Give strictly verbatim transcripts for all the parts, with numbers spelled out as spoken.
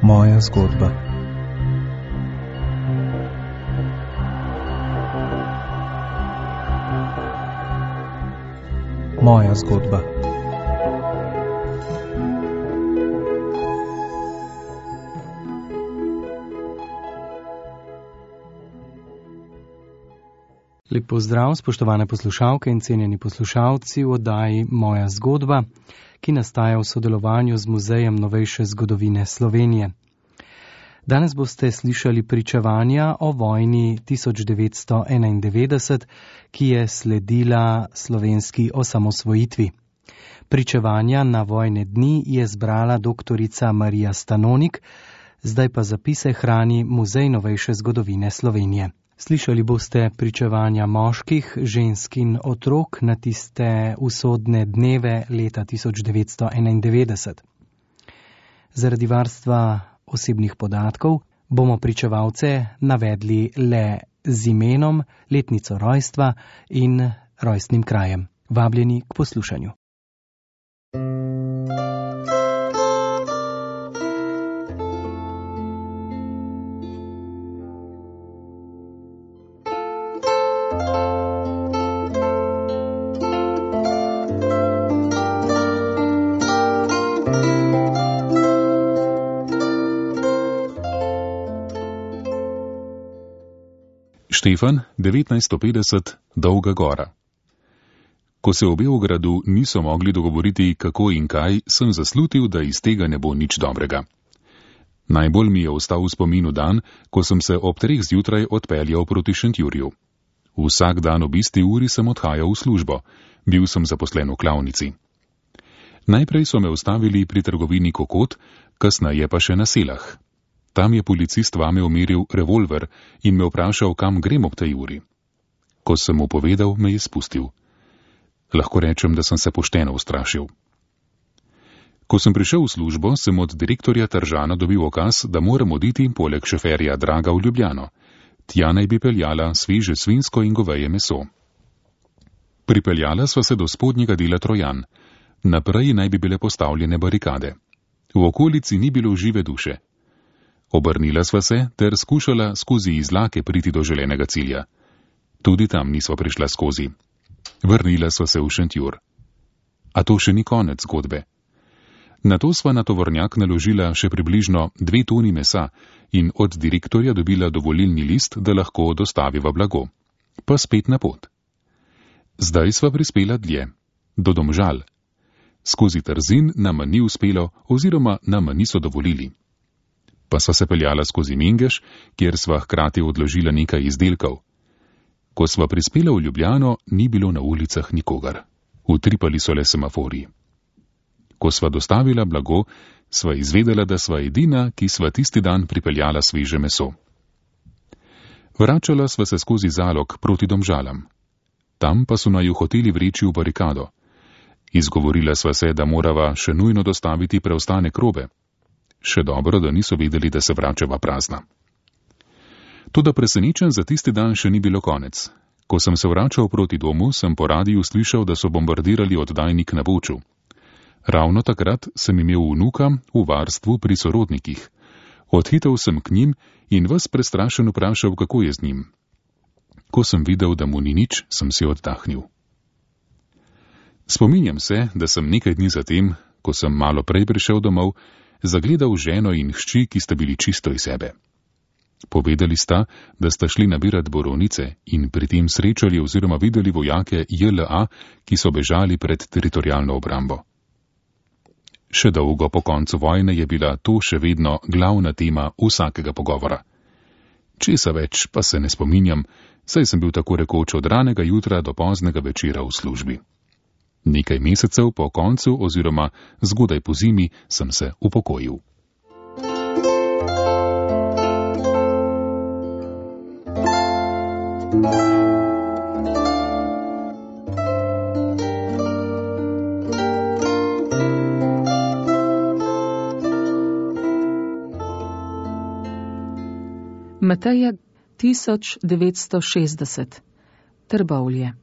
Moja zgodba. Moja zgodba. Lep pozdrav, spoštovane poslušalke in cenjeni poslušalci v oddaji Moja zgodba, ki nastaja v sodelovanju z Muzejem novejše zgodovine Slovenije. Danes boste slišali pričevanja o vojni tisoč devetsto enaindevetdeset, ki je sledila slovenski osamosvojitvi. Pričevanja na vojne dni je zbrala doktorica Marija Stanonik, zdaj pa zapise hrani Muzej novejše zgodovine Slovenije. Slišali boste pričevanja moških, žensk in otrok na tiste usodne dneve leta tisoč devetsto enaindevetdeset. Zaradi varstva osebnih podatkov bomo pričevalce navedli le z imenom, letnico rojstva in rojstnim krajem. Vabljeni k poslušanju. Štefan, devetnajststo petdeset, Dolga gora. Ko se v Beogradu niso mogli dogovoriti, kako in kaj, sem zaslutil, da iz tega ne bo nič dobrega. Najbolj mi je ostal v spominu dan, ko sem se ob treh zjutraj odpeljal proti Šentjurju. Vsak dan ob isti uri sem odhajal v službo. Bil sem zaposlen v klavnici. Najprej so me ustavili pri trgovini Kokot, kasneje pa še na Selah. Tam je policist vame umiril revolver in me vprašal, kam grem ob tej uri. Ko sem mu povedal, me je spustil. Lahko rečem, da sem se pošteno ustrašil. Ko sem prišel v službo, sem od direktorja Tržana dobil ukaz, da moram oditi poleg šoferja Draga v Ljubljano. Tja naj bi peljala sveže svinjsko in goveje meso. Pripeljala sva se do spodnjega dela Trojan. Naprej naj bi bile postavljene barikade. V okolici ni bilo žive duše. Obrnila sva se ter skušala skozi izlake priti do želenega cilja. Tudi tam nisva prišla skozi. Vrnila sva se v Šentjur. A to še ni konec zgodbe. Nato sva na tovornjak naložila še približno dve toni mesa in od direktorja dobila dovolilni list, da lahko dostaviva blago. Pa spet na pot. Zdaj sva prispela dlje. Do Domžal. Skozi Trzin nama ni uspelo oziroma nama niso dovolili. Pa sva se peljala skozi Mengeš, kjer sva hkrati odložila nekaj izdelkov. Ko sva prispela v Ljubljano, ni bilo na ulicah nikogar. Utripali so le semaforji. Ko sva dostavila blago, sva izvedela, da sva edina, ki sva tisti dan pripeljala sveže meso. Vračala sva se skozi Zalog proti Domžalam. Tam pa so naju hoteli vreči v barikado. Izgovorila sva se, da morava še nujno dostaviti preostanek robe. Še dobro, da niso vedeli, da se vračava prazna. Toda presenečen za tisti dan še ni bilo konec. Ko sem se vračal proti domu, sem po radiju slišal, da so bombardirali oddajnik na Boču. Ravno takrat sem imel vnuka v varstvu pri sorodnikih. Odhitel sem k njim in ves prestrašen vprašal, kako je z njim. Ko sem videl, da mu ni nič, sem si oddahnil. Spominjam se, da sem nekaj dni zatem, ko sem malo prej prišel domov, zagledal ženo in hči, ki sta bili čisto iz sebe. Povedali sta, da sta šli nabirat borovnice in pri tem srečali oziroma videli vojake J L A, ki so bežali pred teritorialno obrambo. Še dolgo po koncu vojne je bila to še vedno glavna tema vsakega pogovora. Česa več pa se ne spominjam, saj sem bil tako rekoč od ranega jutra do poznega večera v službi. Nekaj mesecev po koncu oziroma zgodaj po zimi sem se upokojil. Mateja tisoč devetsto šestdeset. Trbovlje.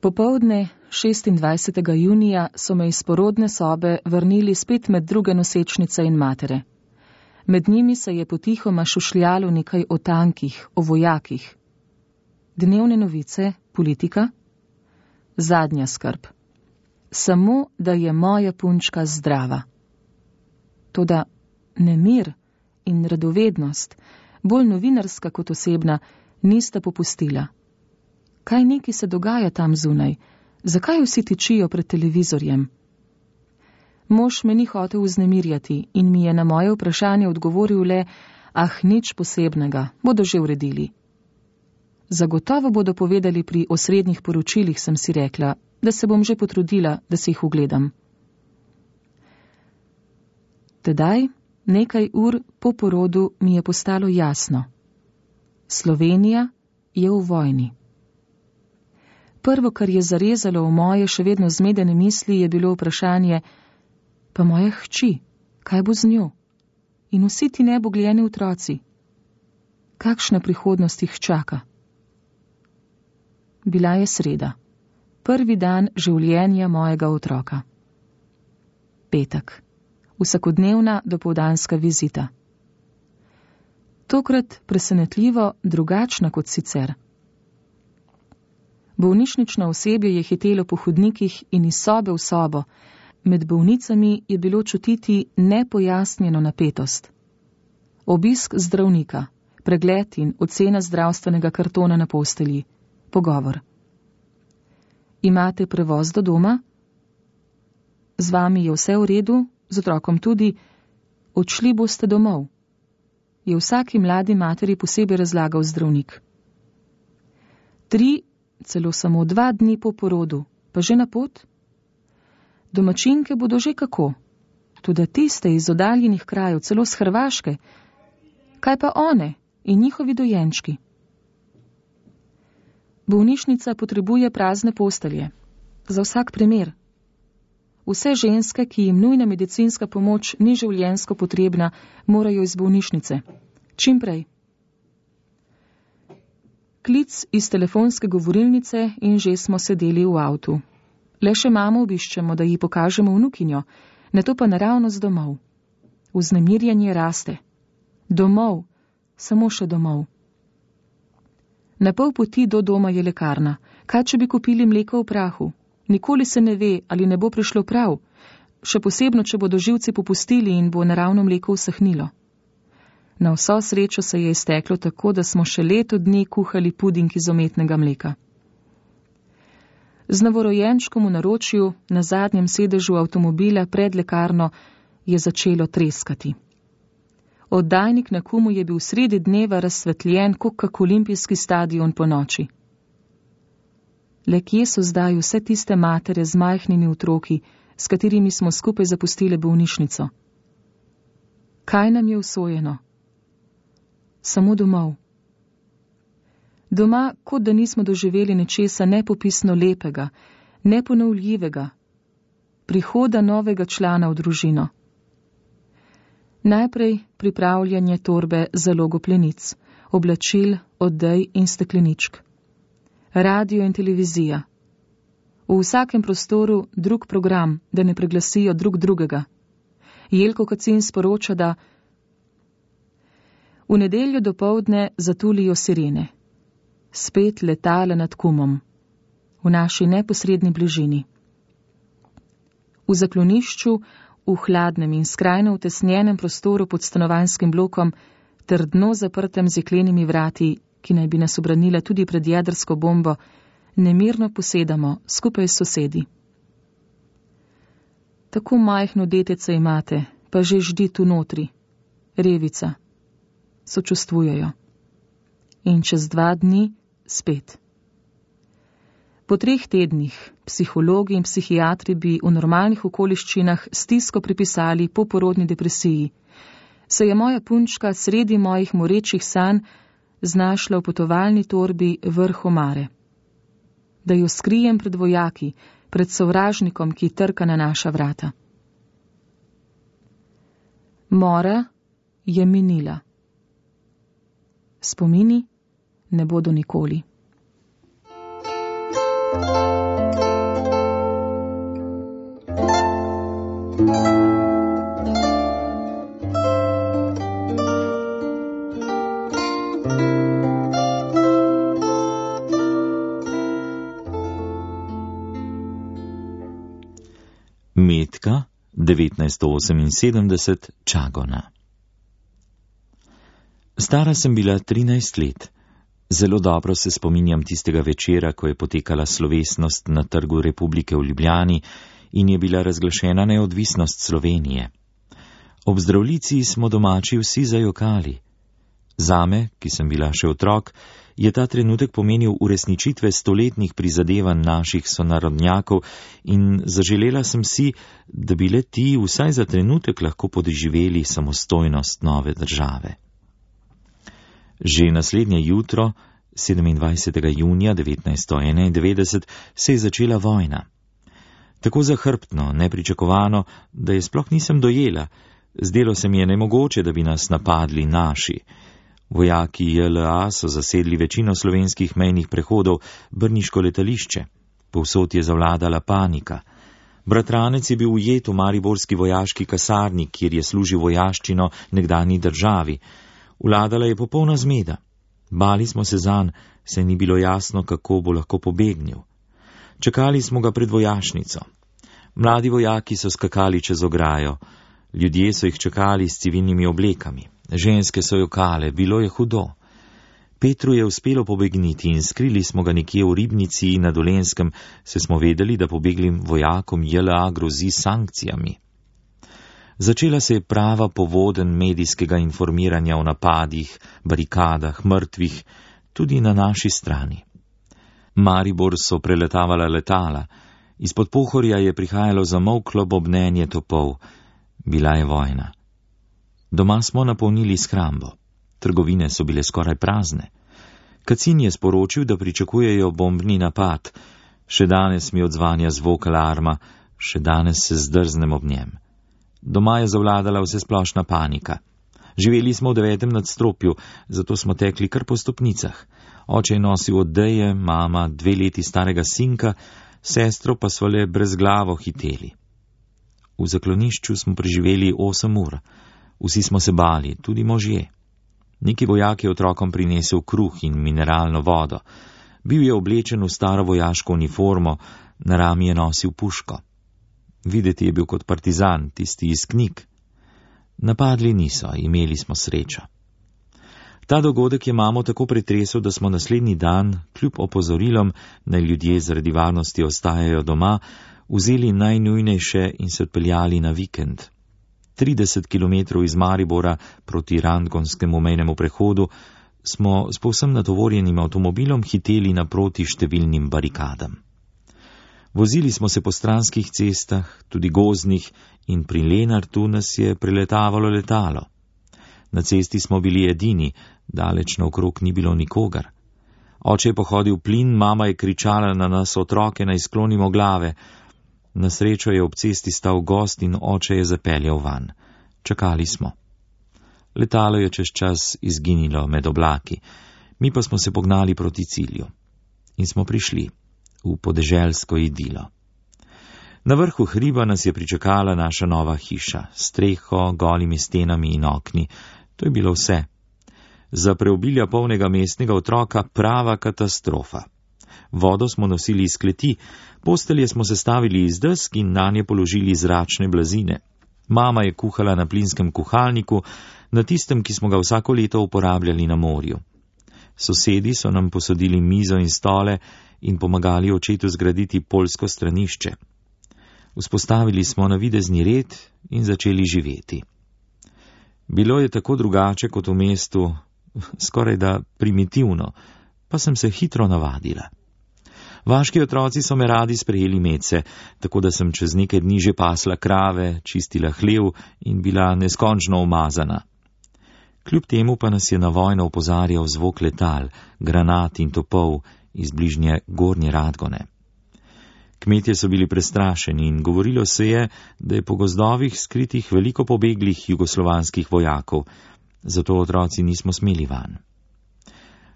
Popoldne šestindvajsetega junija so me iz porodne sobe vrnili spet med druge nosečnice in matere. Med njimi se je potihoma šušljalo nekaj o tankih, o vojakih. Dnevne novice, politika? Zadnja skrb. Samo, da je moja punčka zdrava. Toda nemir in radovednost, bolj novinarska kot osebna, nista popustila. Kaj neki se dogaja tam zunaj? Zakaj vsi tičijo pred televizorjem? Mož me ni hotel vznemirjati in mi je na moje vprašanje odgovoril le, ah, nič posebnega, bodo že uredili. Zagotovo bodo povedali pri osrednjih poročilih, sem si rekla, da se bom že potrudila, da se jih ugledam. Tedaj, nekaj ur po porodu, mi je postalo jasno. Slovenija je v vojni. Prvo, kar je zarezalo v moje še vedno zmedene misli, je bilo vprašanje, pa moja hči, kaj bo z njo? In vsi ti nebogljeni otroci? Kakšna prihodnost jih čaka? Bila je sreda, prvi dan življenja mojega otroka. Petek, vsakodnevna dopoldanska vizita. Tokrat presenetljivo drugačna kot sicer. Bolnišnično osebje je hitelo po hodnikih in iz sobe v sobo. Med bolnicami je bilo čutiti nepojasnjeno napetost. Obisk zdravnika, pregled in ocena zdravstvenega kartona na postelji, pogovor. Imate prevoz do doma? Z vami je vse v redu, z otrokom tudi, odšli boste domov, je vsaki mladi materi posebej razlagal zdravnik. Tri, celo samo dva dni po porodu, pa že na pot? Domačinke bodo že kako, tudi tiste iz oddaljenih krajev, celo z Hrvaške. Kaj pa one in njihovi dojenčki? Bolnišnica potrebuje prazne postelje, za vsak primer. Vse ženske, ki jim nujna medicinska pomoč ni življenjsko potrebna, morajo iz bolnišnice. Čim prej. Klic iz telefonske govorilnice in že smo sedeli v avtu. Le še mamo obiščemo, da ji pokažemo vnukinjo, ne to pa naravnost domov. Vznemirjanje raste. Domov, samo še domov. Na pol poti do doma je lekarna. Kaj, če bi kupili mleko v prahu? Nikoli se ne ve, ali ne bo prišlo prav. Še posebno, če bodo živci popustili in bo naravno mleko usahnilo. Na vso srečo se je izteklo tako, da smo še leto dni kuhali puding iz umetnega mleka. Z novorojenčkom v naročju, na zadnjem sedežu avtomobila pred lekarno, je začelo treskati. Oddajnik na Kumu je bil sredi dneva razsvetljen, kot kak olimpijski stadion po noči. Le kje so zdaj vse tiste matere z majhnimi otroki, s katerimi smo skupaj zapustile bolnišnico? Kaj nam je usojeno? Samo domov. Doma, kot da nismo doživeli nečesa nepopisno lepega, neponovljivega, prihoda novega člana v družino. Najprej pripravljanje torbe za logoplenic, oblačil, odej in stekleničk. Radio in televizija. V vsakem prostoru drug program, da ne preglasijo drug drugega. Jelko Kacin sporoča, da v nedeljo dopoldne zatulijo sirene. Spet letala nad Kumom, v naši neposredni bližini. V zaklonišču, v hladnem in skrajno utesnjenem prostoru pod stanovanjskim blokom, trdno zaprtem z jeklenimi vrati, ki naj bi nas obranila tudi pred jedrsko bombo, nemirno posedamo skupaj s sosedi. Tako majhno detece imate, pa že ždi tu notri. Revica. Sočustvujejo. In čez dva dni spet. Po treh tednih psihologi in psihiatri bi v normalnih okoliščinah stisko pripisali poporodni depresiji, se je moja punčka sredi mojih morečih sanj znašla v potovalni torbi vrh omare. Da jo skrijem pred vojaki, pred sovražnikom, ki trka na naša vrata. Mora je minila. Spomini ne bodo nikoli. Metka, devetnajststo oseminsedemdeset, Čagona. Stara sem bila trinajst let. Zelo dobro se spominjam tistega večera, ko je potekala slovesnost na Trgu Republike v Ljubljani in je bila razglašena neodvisnost Slovenije. Ob zdravljici smo domači vsi zajokali. Zame, ki sem bila še otrok, je ta trenutek pomenil uresničitve stoletnih prizadevanj naših sonarodnjakov in zaželela sem si, da bi le ti vsaj za trenutek lahko podoživeli samostojnost nove države. Že naslednje jutro, sedemindvajsetega junija devetnajststo enaindevetdeset, se je začela vojna. Tako zahrbtno, nepričakovano, da je sploh nisem dojela. Zdelo se mi je nemogoče, da bi nas napadli naši. Vojaki J L A so zasedli večino slovenskih mejnih prehodov, Brniško letališče. Povsod je zavladala panika. Bratranec je bil ujet v mariborski vojaški kasarni, kjer je služil vojaščino nekdanji državi. Vladala je popolna zmeda. Bali smo se zanj, saj ni bilo jasno, kako bo lahko pobegnil. Čakali smo ga pred vojašnico. Mladi vojaki so skakali čez ograjo. Ljudje so jih čakali s civilnimi oblekami. Ženske so jokale, bilo je hudo. Petru je uspelo pobegniti in skrili smo ga nekje v Ribnici na Dolenjskem, se smo vedeli, da pobeglim vojakom J L A grozi sankcijami. Začela se je prava povoden medijskega informiranja o napadih, barikadah, mrtvih, tudi na naši strani. Maribor so preletavala letala, izpod Pohorja je prihajalo zamolklo bobnenje topov. Bila je vojna. Doma smo napolnili shrambo. Trgovine so bile skoraj prazne. Kacin je sporočil, da pričakujejo bombni napad. Še danes mi odzvanja zvok alarma, še danes se zdrznem ob njem. Doma je zavladala vsesplošna panika. Živeli smo v devetem nadstropju, zato smo tekli kar po stopnicah. Oče je nosil odeje, mama dve leti starega sinka, sestro pa smo le brezglavo hiteli. V zaklonišču smo preživeli osem ur. Vsi smo se bali, tudi možje. Neki vojak je otrokom prinesel kruh in mineralno vodo. Bil je oblečen v staro vojaško uniformo, na rami je nosil puško. Videti je bil kot partizan, tisti iz knjig. Napadli niso, imeli smo srečo. Ta dogodek je mamo tako pretresel, da smo naslednji dan, kljub opozorilom, naj ljudje zaradi varnosti ostajajo doma, vzeli najnujnejše in se odpeljali na vikend. trideset kilometrov iz Maribora proti Rangonskemu mejnemu prehodu smo s povsem natovorjenim avtomobilom hiteli naproti številnim barikadam. Vozili smo se po stranskih cestah, tudi gozdnih, in pri Lenartu nas je preletavalo letalo. Na cesti smo bili edini, daleč naokrog ni bilo nikogar. Oče je pohodil plin, mama je kričala na nas otroke, naj sklonimo glave. Na srečo je ob cesti stal gost in oče je zapeljal van. Čakali smo. Letalo je čez čas izginilo med oblaki, mi pa smo se pognali proti cilju. In smo prišli v podeželsko idilo. Na vrhu hriba nas je pričakala naša nova hiša, streho, golimi stenami in okni. To je bilo vse. Za preobilja polnega mestnega otroka prava katastrofa. Vodo smo nosili iz kleti, postelje smo sestavili iz desk in nanje položili zračne blazine. Mama je kuhala na plinskem kuhalniku, na tistem, ki smo ga vsako leto uporabljali na morju. Sosedi so nam posodili mizo in stole in pomagali očetu zgraditi poljsko stranišče. Vzpostavili smo navidezni red in začeli živeti. Bilo je tako drugače kot v mestu, skoraj da primitivno, pa sem se hitro navadila. Vaški otroci so me radi sprejeli medse, tako da sem čez nekaj dni že pasla krave, čistila hlev in bila neskončno umazana. Kljub temu pa nas je na vojno opozarjal zvok letal, granat in topov iz bližnje Gornje Radgone. Kmetje so bili prestrašeni in govorilo se je, da je po gozdovih skritih veliko pobeglih jugoslovanskih vojakov, zato otroci nismo smeli van.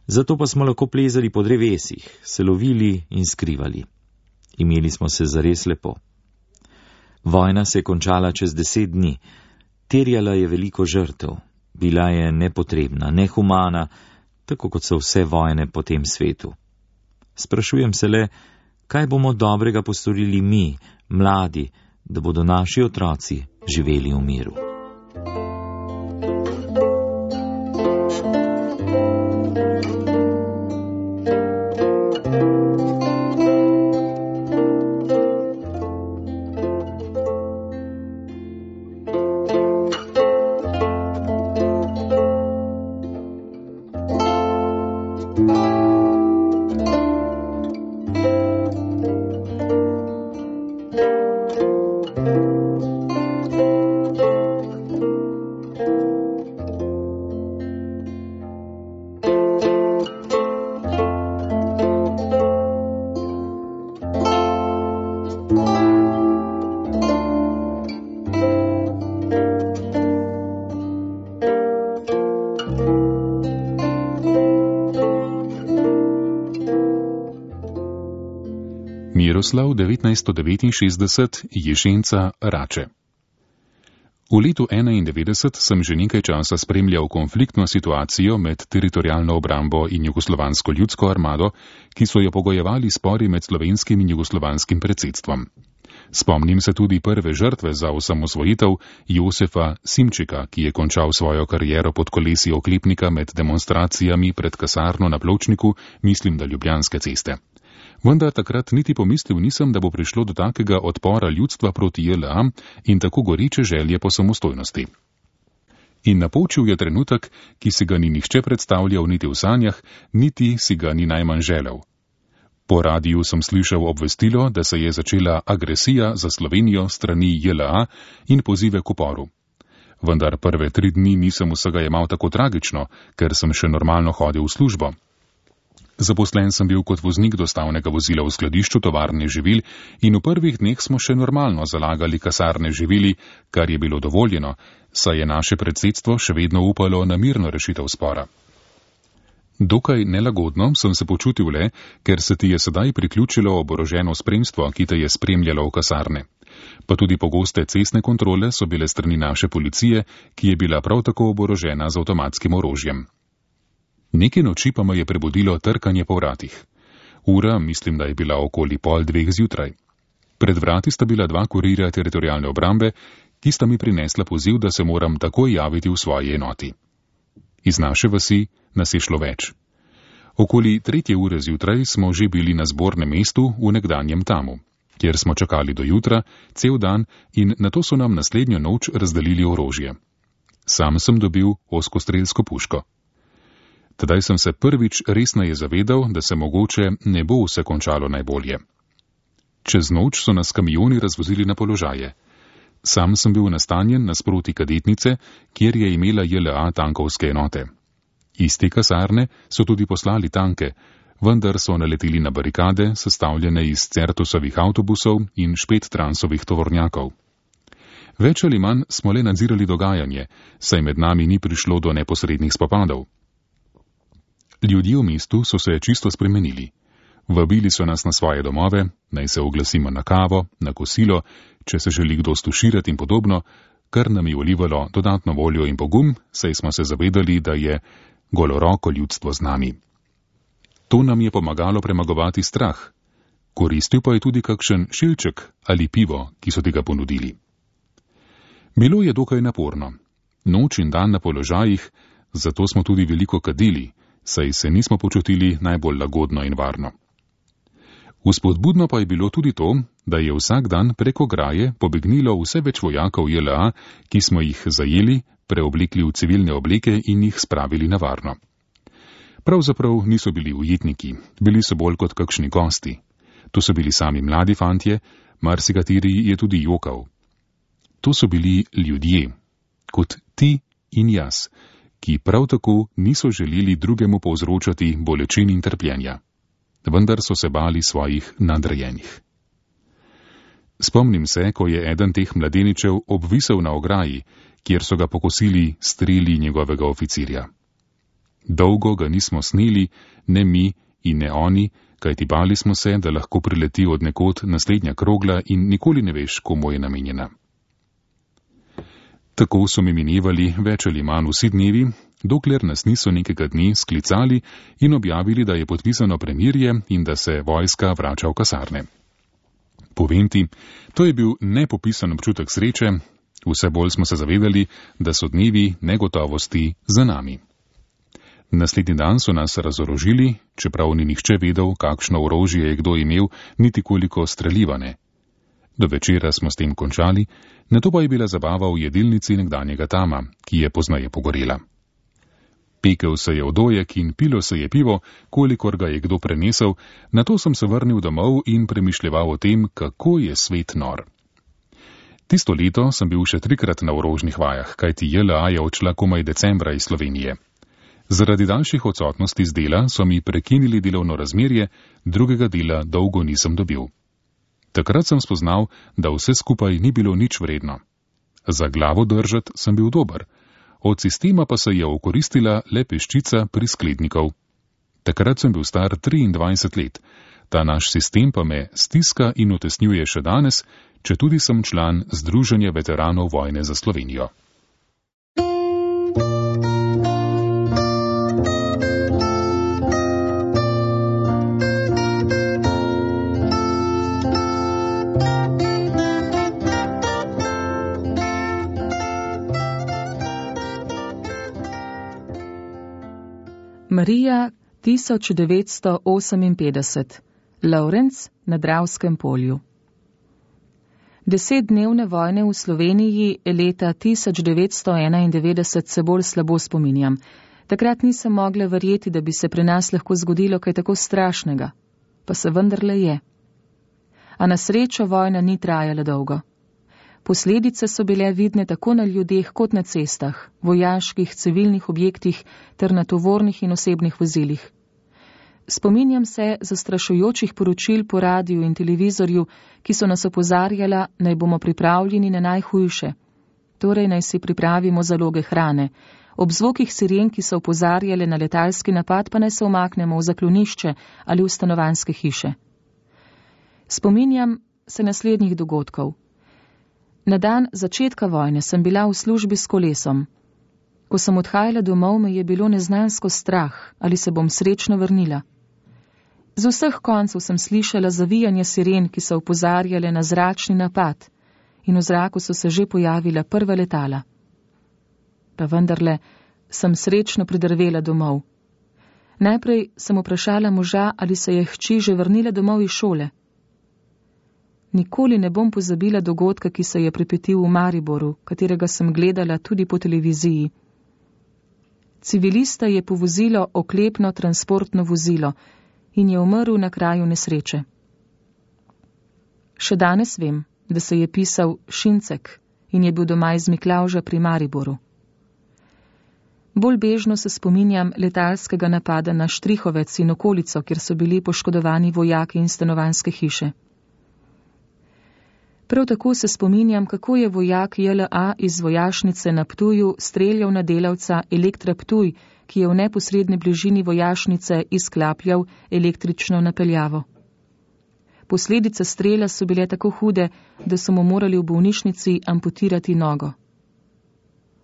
Zato pa smo lahko plezali po drevesih, se lovili in skrivali. Imeli smo se zares lepo. Vojna se je končala čez deset dni. Terjala je veliko žrtev. Bila je nepotrebna, nehumana, tako kot so vse vojne po tem svetu. Sprašujem se le, kaj bomo dobrega postorili mi, mladi, da bodo naši otroci živeli v miru. Miroslav devetnajststo devetinšestdeset, Jesenice, Rače. V letu enaindevetdeset sem že nekaj časa spremljal konfliktno situacijo med teritorialno obrambo in jugoslovansko ljudsko armado, ki so jo pogojevali spori med slovenskim in jugoslovanskim predsedstvom. Spomnim se tudi prve žrtve za osamosvojitev Josefa Simčika, ki je končal svojo kariero pod kolesi oklepnika med demonstracijami pred kasarno na Pločniku, mislim da Ljubljanske ceste. Vendar takrat niti pomislil nisem, da bo prišlo do takega odpora ljudstva proti J L A in tako goreče želje po samostojnosti. In napočil je trenutek, ki si ga ni nihče predstavljal niti v sanjah, niti si ga ni najmanj želel. Po radiju sem slišal obvestilo, da se je začela agresija za Slovenijo strani J L A in pozive k uporu. Vendar prve tri dni nisem vsega jemal tako tragično, ker sem še normalno hodil v službo. Zaposlen sem bil kot voznik dostavnega vozila v skladišču tovarne živil in v prvih dneh smo še normalno zalagali kasarne živili, kar je bilo dovoljeno, saj je naše predsedstvo še vedno upalo na mirno rešitev spora. Dokaj nelagodno sem se počutil le, ker se ti je sedaj priključilo oboroženo spremstvo, ki te je spremljalo v kasarne. Pa tudi pogoste cestne kontrole so bile strani naše policije, ki je bila prav tako oborožena z avtomatskim orožjem. Neke noči pa me je prebudilo trkanje po vratih. Ura, mislim, da je bila okoli pol dveh zjutraj. Pred vrati sta bila dva kurirja teritorialne obrambe, ki sta mi prinesla poziv, da se moram takoj javiti v svoji enoti. Iz naše vasi nas je šlo več. Okoli tretje ure zjutraj smo že bili na zbornem mestu v nekdanjem Tamu, kjer smo čakali do jutra, cel dan in nato so nam naslednjo noč razdelili orožje. Sam sem dobil ozkostrelsko puško. Tedaj sem se prvič resneje zavedal, da se mogoče ne bo vse končalo najbolje. Čez noč so nas kamioni razvozili na položaje. Sam sem bil nastanjen nasproti kadetnice, kjer je imela J L A tankovske enote. Iz te kasarne so tudi poslali tanke, vendar so naleteli na barikade, sestavljene iz Certusovih avtobusov in Špettransovih tovornjakov. Več ali manj smo le nadzirali dogajanje, saj med nami ni prišlo do neposrednih spopadov. Ljudje v mestu so se čisto spremenili. Vabili so nas na svoje domove, naj se oglasimo na kavo, na kosilo, če se želi kdo stuširati in podobno, kar nam je vlivalo dodatno voljo in pogum, saj smo se zavedali, da je goloroko ljudstvo z nami. To nam je pomagalo premagovati strah. Koristil pa je tudi kakšen šilček ali pivo, ki so ti ga ponudili. Bilo je dokaj naporno. Noč in dan na položajih, zato smo tudi veliko kadili, saj se nismo počutili najbolj lagodno in varno. Vzpodbudno pa je bilo tudi to, da je vsak dan preko graje pobegnilo vse več vojakov J L A, ki smo jih zajeli, preoblekli v civilne obleke in jih spravili na varno. Pravzaprav niso bili ujetniki, bili so bolj kot kakšni gosti. To so bili sami mladi fantje, marsikateri je tudi jokal. To so bili ljudje, kot ti in jaz, ki prav tako niso želeli drugemu povzročati bolečin in trpljenja. Vendar so se bali svojih nadrejenih. Spomnim se, ko je eden teh mladeničev obvisel na ograji, kjer so ga pokosili streli njegovega oficirja. Dolgo ga nismo sneli, ne mi in ne oni, kajti bali smo se, da lahko prileti od nekod naslednja krogla in nikoli ne veš, komu je namenjena. Tako so mi minevali več ali manj vsi dnevi, dokler nas niso nekega dne sklicali in objavili, da je podpisano premirje in da se vojska vrača v kasarne. Povem ti, to je bil nepopisan občutek sreče, vse bolj smo se zavedali, da so dnevi negotovosti za nami. Naslednji dan so nas razorožili, čeprav ni nihče vedel, kakšno orožje je kdo imel, niti koliko streljivane. Do večera smo s tem končali, nato pa je bila zabava v jedilnici nekdanjega Tama, ki je poznaje pogorela. Pekel se je odojek in pilo se je pivo, kolikor ga je kdo prenesel, nato sem se vrnil domov in premišljeval o tem, kako je svet nor. Tisto leto sem bil še trikrat na orožnih vajah, kajti J L A je odšla komaj decembra iz Slovenije. Zaradi daljših odsotnosti z dela so mi prekinili delovno razmerje, drugega dela dolgo nisem dobil. Takrat sem spoznal, da vse skupaj ni bilo nič vredno. Za glavo držat sem bil dober, od sistema pa se je okoristila le peščica prisklednikov. Takrat sem bil star triindvajset let, ta naš sistem pa me stiska in utesnjuje še danes, četudi sem član Združenja veteranov vojne za Slovenijo. Marija tisoč devetsto oseminpetdeset, Lovrenc na Dravskem polju. Desetdnevne vojne v Sloveniji leta tisoč devetsto enaindevetdeset se bolj slabo spominjam. Takrat nisem mogla verjeti, da bi se pri nas lahko zgodilo kaj tako strašnega. Pa se vendarle je. A na srečo vojna ni trajala dolgo. Posledice so bile vidne tako na ljudeh kot na cestah, vojaških, civilnih objektih ter na tovornih in osebnih vozilih. Spominjam se zastrašujočih poročil po radiju in televizorju, ki so nas opozarjala, naj bomo pripravljeni na najhujše. Torej naj si pripravimo zaloge hrane. Ob zvokih siren, ki so opozarjale na letalski napad, pa naj se umaknemo v zaklonišče ali v stanovanjske hiše. Spominjam se naslednjih dogodkov. Na dan začetka vojne sem bila v službi s kolesom. Ko sem odhajala domov, me je bilo neznansko strah, ali se bom srečno vrnila. Z vseh koncev sem slišala zavijanje siren, ki so opozarjale na zračni napad, in v zraku so se že pojavila prva letala. Pa vendarle sem srečno pridrvela domov. Najprej sem vprašala moža, ali se je hči že vrnila domov iz šole. Nikoli ne bom pozabila dogodka, ki se je pripetil v Mariboru, katerega sem gledala tudi po televiziji. Civilista je povozilo oklepno transportno vozilo in je umrl na kraju nesreče. Še danes vem, da se je pisal Šincek in je bil doma iz Miklavža pri Mariboru. Bolj bežno se spominjam letalskega napada na Štrihovec in okolico, kjer so bili poškodovani vojaki in stanovanjske hiše. Prav tako se spominjam, kako je vojak J L A iz vojašnice na Ptuju streljal na delavca Elektra Ptuj, ki je v neposredni bližini vojašnice izklapljal električno napeljavo. Posledice strela so bile tako hude, da so mu morali v bolnišnici amputirati nogo.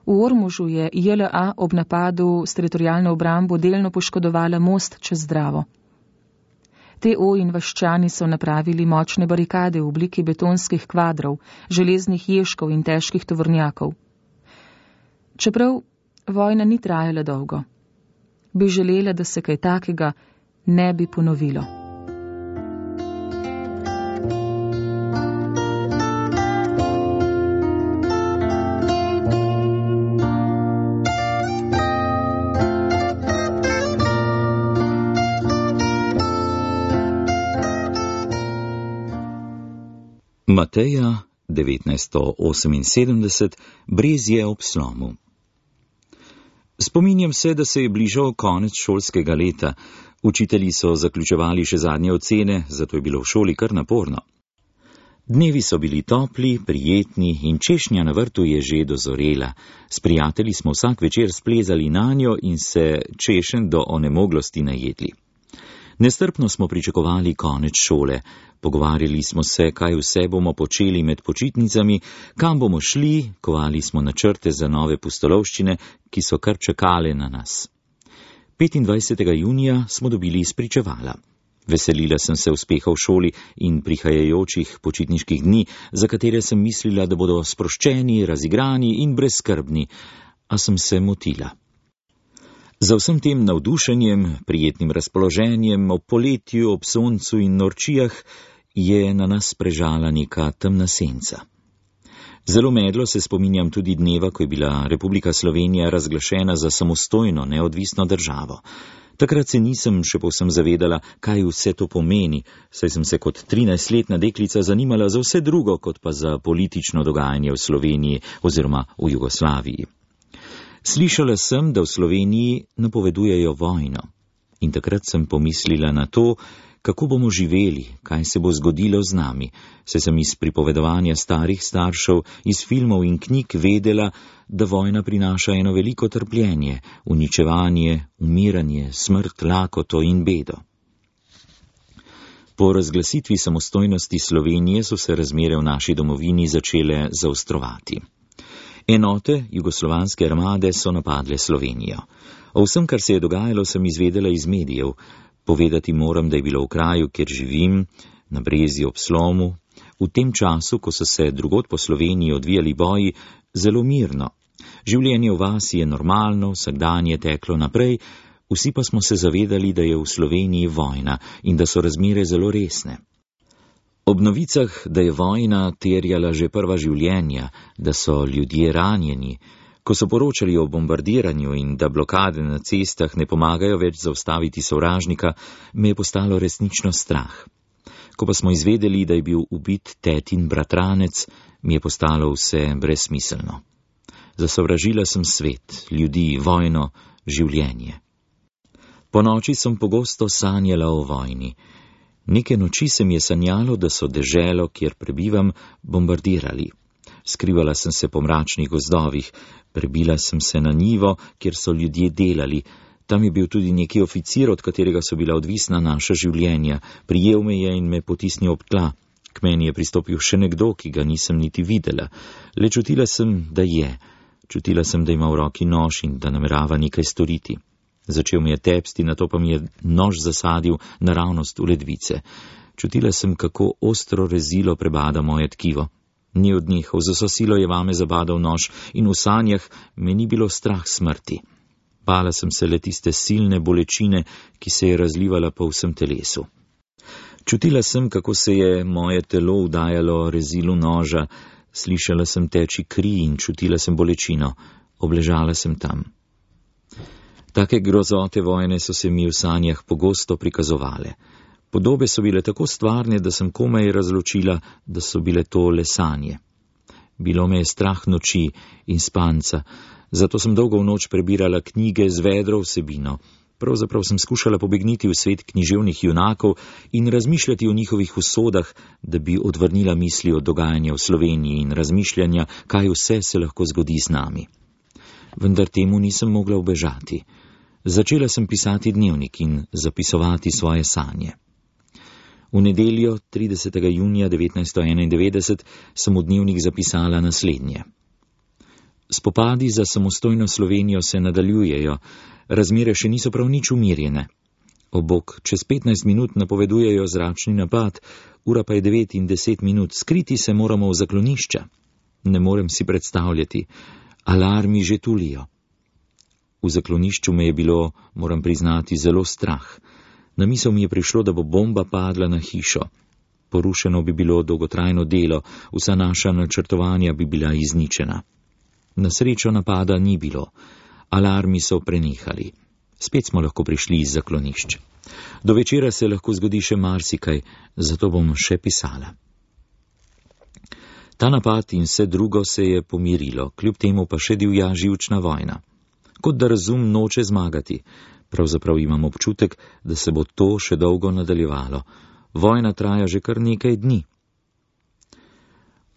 V Ormožu je J L A ob napadu s teritorialno obrambo delno poškodovala most čez Dravo. T O in vaščani so napravili močne barikade v obliki betonskih kvadrov, železnih ježkov in težkih tovornjakov. Čeprav vojna ni trajala dolgo, bi želela, da se kaj takega ne bi ponovilo. Mateja devetnajststo oseminsedemdeset, Brezje ob slomu. Spominjam se, da se je bližal konec šolskega leta. Učitelji so zaključevali še zadnje ocene, zato je bilo v šoli kar naporno. Dnevi so bili topli, prijetni in češnja na vrtu je že dozorela. S prijatelji smo vsak večer splezali nanjo in se češenj do onemoglosti najedli. Nestrpno smo pričakovali konec šole. Pogovarjali smo se, kaj vse bomo počeli med počitnicami, kam bomo šli, kovali smo načrte za nove pustolovščine, ki so kar čakale na nas. petindvajsetega junija smo dobili spričevala. Veselila sem se uspeha v šoli in prihajajočih počitniških dni, za katere sem mislila, da bodo sproščeni, razigrani in brezskrbni, a sem se motila. Za vsem tem navdušenjem, prijetnim razpoloženjem, ob poletju, ob soncu in norčijah je na nas prežala neka temna senca. Zelo medlo se spominjam tudi dneva, ko je bila Republika Slovenija razglašena za samostojno, neodvisno državo. Takrat se nisem še povsem zavedala, kaj vse to pomeni, saj sem se kot trinajstletna deklica zanimala za vse drugo, kot pa za politično dogajanje v Sloveniji oziroma v Jugoslaviji. Slišala sem, da v Sloveniji napovedujejo vojno. In takrat sem pomislila na to, kako bomo živeli, kaj se bo zgodilo z nami, saj sem iz pripovedovanja starih staršev, iz filmov in knjig vedela, da vojna prinaša eno veliko trpljenje, uničevanje, umiranje, smrt, lakoto in bedo. Po razglasitvi samostojnosti Slovenije so se razmere v naši domovini začele zaostrovati. Enote jugoslovanske armade so napadle Slovenijo. O vsem, kar se je dogajalo, sem izvedela iz medijev. Povedati moram, da je bilo v kraju, kjer živim, na Brezju ob Slomu, v tem času, ko so se drugod po Sloveniji odvijali boji, zelo mirno. Življenje v vasi je normalno, vsak dan je teklo naprej, vsi pa smo se zavedali, da je v Sloveniji vojna in da so razmere zelo resne. Ob novicah, da je vojna terjala že prva življenja, da so ljudje ranjeni, ko so poročali o bombardiranju in da blokade na cestah ne pomagajo več zaustaviti sovražnika, me je postalo resnično strah. Ko pa smo izvedeli, da je bil ubit tetin bratranec, mi je postalo vse brezsmiselno. Zasovražila sem svet, ljudi, vojno, življenje. Po noči sem pogosto sanjala o vojni. Neke noči se mi je sanjalo, da so deželo, kjer prebivam, bombardirali. Skrivala sem se po mračnih gozdovih, prebila sem se na njivo, kjer so ljudje delali. Tam je bil tudi neki oficir, od katerega so bila odvisna naša življenja. Prijel me je in me potisnil ob tla. K meni je pristopil še nekdo, ki ga nisem niti videla. Le čutila sem, da je. Čutila sem, da ima v roki nož in da namerava nekaj storiti. Začel mi je tepsti, nato pa mi je nož zasadil naravnost v ledvice. Čutila sem, kako ostro rezilo prebada moje tkivo. Ni odnehal, z vso silo je vame zabadal nož in v sanjah me ni bilo strah smrti. Bala sem se le tiste silne bolečine, ki se je razlivala po vsem telesu. Čutila sem, kako se je moje telo vdajalo rezilu noža, slišala sem teči kri in čutila sem bolečino. Obležala sem tam. Take grozote vojne so se mi v sanjah pogosto prikazovale. Podobe so bile tako stvarne, da sem komaj razločila, da so bile to le sanje. Bilo me je strah noči in spanca, zato sem dolgo v noč prebirala knjige z vedro vsebino. Pravzaprav sem skušala pobegniti v svet književnih junakov in razmišljati o njihovih usodah, da bi odvrnila misli od dogajanja v Sloveniji in razmišljanja, kaj vse se lahko zgodi z nami. Vendar temu nisem mogla ubežati. Začela sem pisati dnevnik in zapisovati svoje sanje. V nedeljo, tridesetega junija devetnajststo enaindevetdeset, sem v dnevnik zapisala naslednje. Spopadi za samostojno Slovenijo se nadaljujejo, razmere še niso prav nič umirjene. Obok, čez petnajst minut napovedujejo zračni napad, ura pa je devet in deset minut, skriti se moramo v zaklonišča. Ne morem si predstavljati, alarmi že tulijo. V zaklonišču me je bilo, moram priznati, zelo strah. Na misel mi je prišlo, da bo bomba padla na hišo. Porušeno bi bilo dolgotrajno delo, vsa naša načrtovanja bi bila izničena. Na srečo napada ni bilo. Alarmi so prenehali. Spet smo lahko prišli iz zaklonišč. Do večera se lahko zgodi še marsikaj, zato bom še pisala. Ta napad in vse drugo se je pomirilo, kljub temu pa še divja živčna vojna. Kot da razum noče zmagati. Pravzaprav imam občutek, da se bo to še dolgo nadaljevalo. Vojna traja že kar nekaj dni.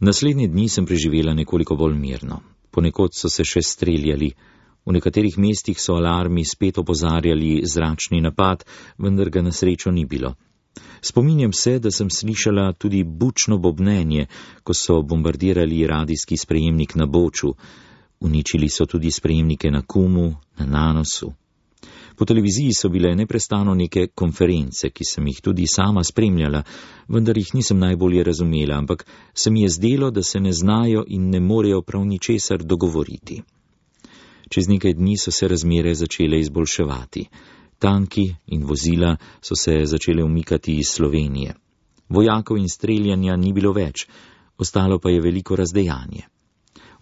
Naslednje dni sem preživela nekoliko bolj mirno. Ponekod so se še streljali. V nekaterih mestih so alarmi spet opozarjali zračni napad, vendar ga na srečo ni bilo. Spominjam se, da sem slišala tudi bučno bobnenje, ko so bombardirali radijski sprejemnik na Boču. Uničili so tudi sprejemnike na Kumu, na Nanosu. Po televiziji so bile neprestano neke konference, ki sem jih tudi sama spremljala, vendar jih nisem najbolje razumela, ampak se mi je zdelo, da se ne znajo in ne morejo prav ničesar dogovoriti. Čez nekaj dni so se razmere začele izboljševati. Tanki in vozila so se začele umikati iz Slovenije. Vojakov in streljanja ni bilo več, ostalo pa je veliko razdejanje.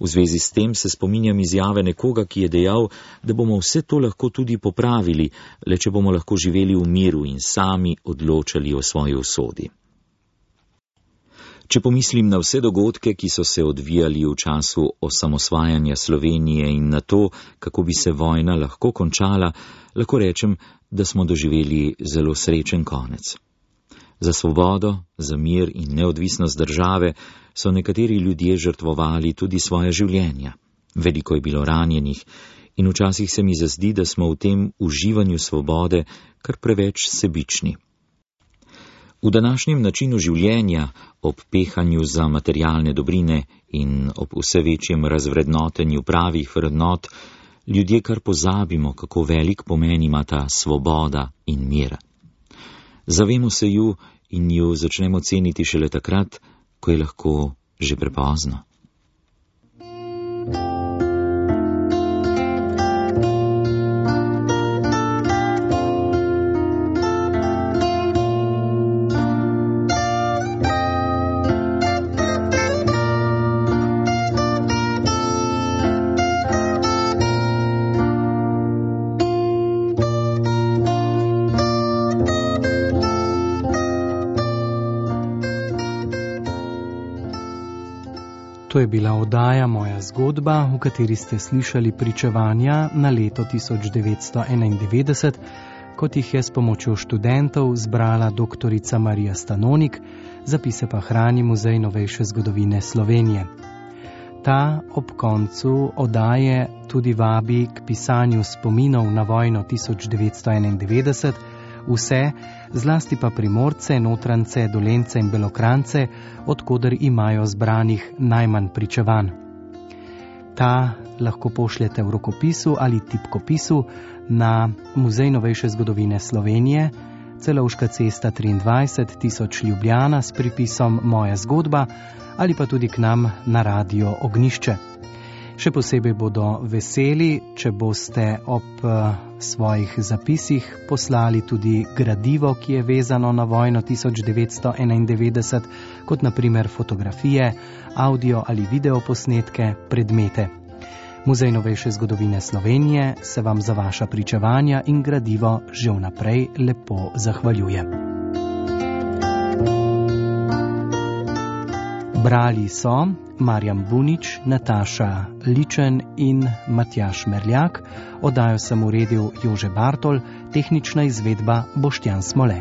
V zvezi s tem se spominjam izjave nekoga, ki je dejal, da bomo vse to lahko tudi popravili, le če bomo lahko živeli v miru in sami odločali o svoji usodi. Če pomislim na vse dogodke, ki so se odvijali v času osamosvajanja Slovenije in na to, kako bi se vojna lahko končala, lahko rečem, da smo doživeli zelo srečen konec. Za svobodo, za mir in neodvisnost države so nekateri ljudje žrtvovali tudi svoje življenja. Veliko je bilo ranjenih in včasih se mi zazdi, da smo v tem uživanju svobode kar preveč sebični. V današnjem načinu življenja, ob pehanju za materialne dobrine in ob vse večjem razvrednotenju pravih vrednot, ljudje kar pozabimo, kako velik pomen ima ta svoboda in mir. Zavemo se ju in ju začnemo ceniti šele takrat, ko je lahko že prepozno. To je bila oddaja Moja zgodba, v kateri ste slišali pričevanja na leto tisoč devetsto enaindevetdeset, kot jih je s pomočjo študentov zbrala doktorica Marija Stanonik, zapise pa hrani Muzej novejše zgodovine Slovenije. Ta ob koncu oddaje tudi vabi k pisanju spominov na vojno tisoč devetsto enaindevetdeset, vse, zlasti pa Primorce, Notrance, Dolence in Belokrajce, odkoder imajo zbranih najmanj pričevanj. Ta lahko pošljete v rokopisu ali tipkopisu na Muzej novejše zgodovine Slovenije, Celovška cesta triindvajset tisoč Ljubljana s pripisom Moja zgodba ali pa tudi k nam na Radio Ognjišče. Še posebej bodo veseli, če boste ob svojih zapisih poslali tudi gradivo, ki je vezano na vojno tisoč devetsto enaindevetdeset, kot na primer fotografije, audio ali video posnetke, predmete. Muzej novejše zgodovine Slovenije se vam za vaša pričevanja in gradivo že vnaprej lepo zahvaljuje. Brali so Marjan Bunič, Nataša Ličen in Matjaž Merljak, oddajo sem uredil Jože Bartol, tehnična izvedba Boštjan Smole.